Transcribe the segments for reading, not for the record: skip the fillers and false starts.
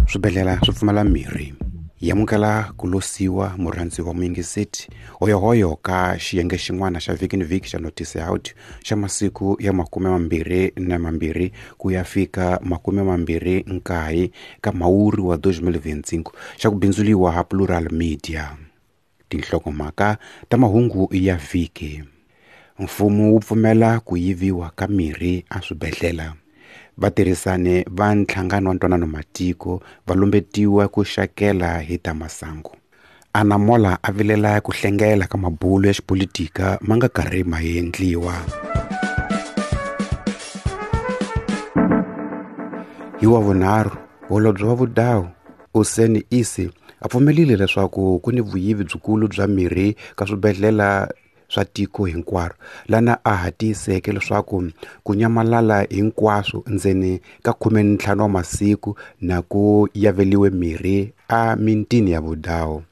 Swibedhlele swi pfumala mirhi. Yamukela ku losiwa murhandzi wa muyingiseti hoyohoyo ka xiyenge xin'wana xa vhiki ni vhiki xa Notice Out xa masiku ya 22 ku ya fika 29 ka Mhawuri wa 2025 xa ku bindzuliwa ha Plural Media. Tinhlokomhaka ta mahungu ya vhiki. Mfumo wu pfumela ku yiviwa ka mirhi eswibedhlele. Vatirhisani va nhlangano wa ntwanano matiko va lumbetiwa ku xakela hi ta masangu. Anamola a vilela ku hlengela ka mabulo ya xipolitika ma nga karhi ma endliwa. Hi wa vunharhu, holobye wa vudawu Useni Isi a pfumerile leswaku ku ni vuyivi byikulu bya mirhi ka swibedhlele swa tiko hinkwaro lana a ha tiyiseke leswaku ku nyamalala hinkwaswo ndzeni ka 15 wa masiku na ku yaveliwe mirhi a mintini ya vudawu.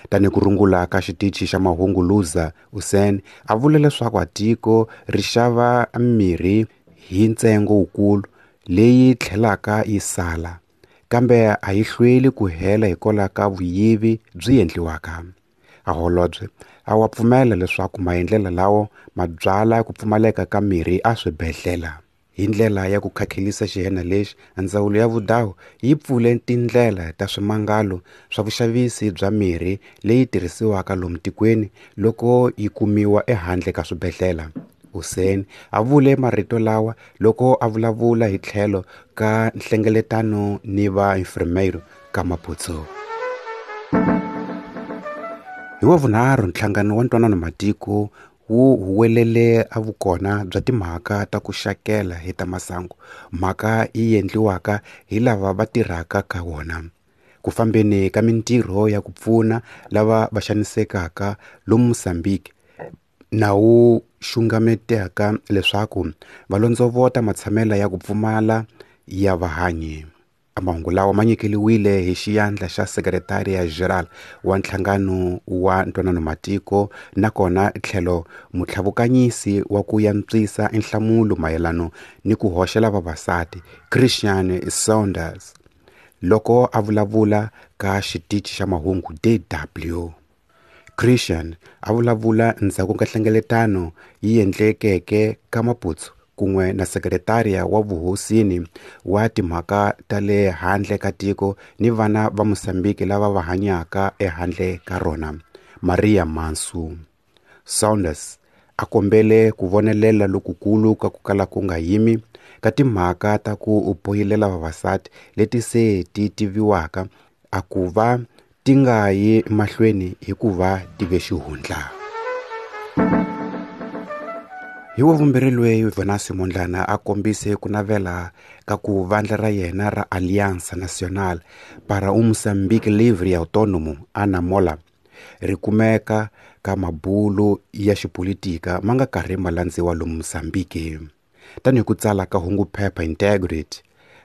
Tanihi ku rungula ka xitichi xa mahungu Luza, Usen a vule leswaku a tiko ri xava mirhi hi ntsengo wukulu leyi tlhelaka yi sala, kambe a yi hlweli ku hela hikwalaho ka vuyivi byi endliwaka. A holobye a wa pfumela leswaku maendlelo lawo ma byala ku pfumaleka ka mirhi eswibedhlele. Hi ndlela ya ku khakhelisa xihena lexi, ndzawulo ya vudawu yi pfule tindlela ta swimangalo swa vuxavisi bya mirhi leyi tirhisiwaka lomu tikweni loko yi kumiwa ehandle ka swibedhlele. Hussein a vule marito lawa loko a vulavula hi tlhelo ka nhlengeletano ni va enfermeiro ka Maputo. Hi wa vunharhu nhlangano wa ntwanano matiko wu huwelele a vukona bya timhaka ta ku xakela hi ta masangu, mhaka yi endliwaka hi lava va tirhaka ka wona. Ku fambeni ka mintirho ya ku pfuna lava va xanisekaka lomu Mozambique na wu xungameteka leswaku va londzovota matshamelo ya ku pfumala ya vahanyi. Mahungu lawa ma nyikeliwile hi xiyandla xa Secretariat General wa nhlangano wa ntwanano matiko nakona tlhelo mutlhavukanyisi wa ku yantswisa nhlamulo mayelano ni ku hoxela vavasati Christian Saunders loko a vulavula ka xitichi xa mahungu DW. Christian a vulavula ndzhaku ka nhlengeletano yi endlekeke ka Maputo kun'we na sekretariya wa vuhosini wa timhaka ta le handle ka tiko ni vana va Mozambique lava va hanyaka ehandle ka rona, Maria Mansu. Saunders a kombele ku vonelela lokukulu ka ku kala ku nga yimi ka timhaka ta ku poyilela vavasati leti se ti tiviwaka a ku va ti nga yi mahlweni hikuva ti ve xihundla. Hi wa vumbirhi loyi Venancio Mondlane a kombise ku navela ka ku vandla ra yena ra Aliança Nacional para um Moçambique Livre e Autônomo, ANAMOLA, ri kumeka ka mabulo ya xipolitika ma nga karhi ma landziwa lomu Mozambique. Tanihi ku tsala ka hungu phepha Integrity,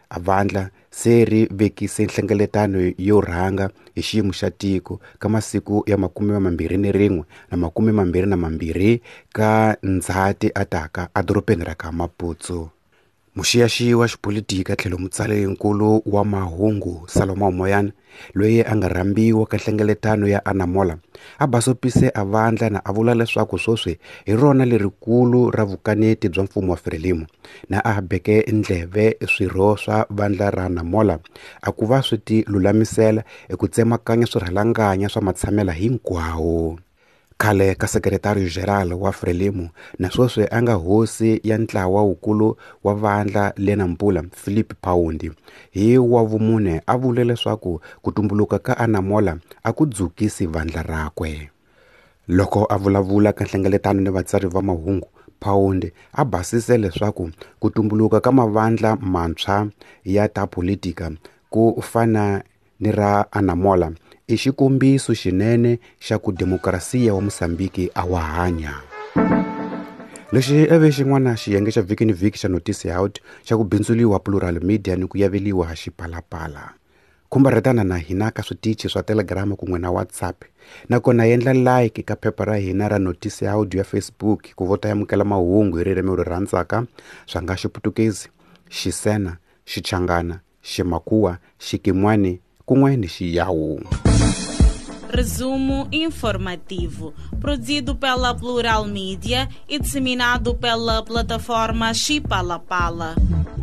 a vandla se ri vekise nhlengeletano yo rhanga hi xiyimo xa tiko ka masiku ya 21 na 22 ka Ndzhati ataka edorobeni ra ka Maputo. Muxiyaxiyi wa xipolitika tlhelo mutsarinkulu wa mahungu Salomão Moyane loyi a nga rhambiwa ka nhlengeletano ya Anamola a basopise a vandla na a vula leswaku sweswi hi rona lerikulu ra vukaneti bya mfumo wa Frelimo na a beke ndleve swirho swa vandla ra Anamola a ku va swi ti lulamisela eku tsemakanya swirhalanganya swa matshamela hinkwawo. Khale ka Secretario General wa Frelimo na sweswi a nga hosi ya ntlawa wukulu wa vandla le Nampula, Philip Paundi, hi wa vumune a vule leswaku ku tumbuluka ka Anamola a ku dzukisi vandla rakwe. Loko a vulavula ka nhlengeletano ni vatsari va mahungu, Paundi a basise leswaku ku tumbuluka ka mavandla mantshwa ya ta politika ku fana ni ra Anamola i xikombiso xinene xa ku demokrasiya wa Mozambique a wa hanya. Lexi eve xin'wana xiyenge xa vhiki ni vhiki xa Notice Out xa ku bindzuliwa Plural Media ni ku yaveliwa xipalapala. Khumbarhetana na hina ka switichi swa Telegram kun'we na WhatsApp. Nakona endla like ka phepha ra hina ra Notice Audio ya Facebook ku vota amukela mahungu hi ririmi ri rhandzaka swa nga Xiputukezi, Xisena, Xichangana, Ximakhuwa, Xikimwani kun'we ni Xiyawu. Resumo informativo, produzido pela Plural Mídia e disseminado pela plataforma Chipalapala. Pala.